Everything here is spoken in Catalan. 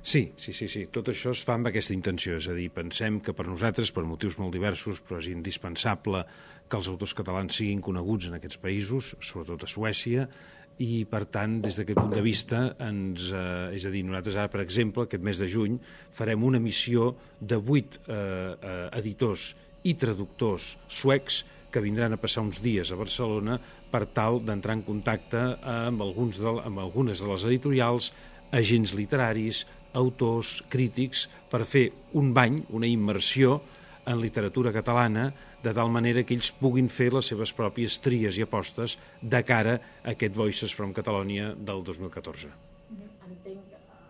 Sí, tot això es fa amb aquesta intenció, és a dir, pensem que per nosaltres, per motius molt diversos, però és indispensable que els autors catalans siguin coneguts en aquests països, sobretot a Suècia, i per tant, des d'aquest punt de vista, és a dir, nosaltres ara, per exemple, aquest mes de juny, farem una missió de 8 editors i traductors suecs que vindran a passar uns dies a Barcelona per tal d'entrar en contacte amb algunes de les editorials, agents literaris, autors, crítics, per fer un bany, una immersió en literatura catalana, de tal manera que ells puguin fer les seves pròpies tries i apostes de cara a aquest Voices from Catalonia del 2014.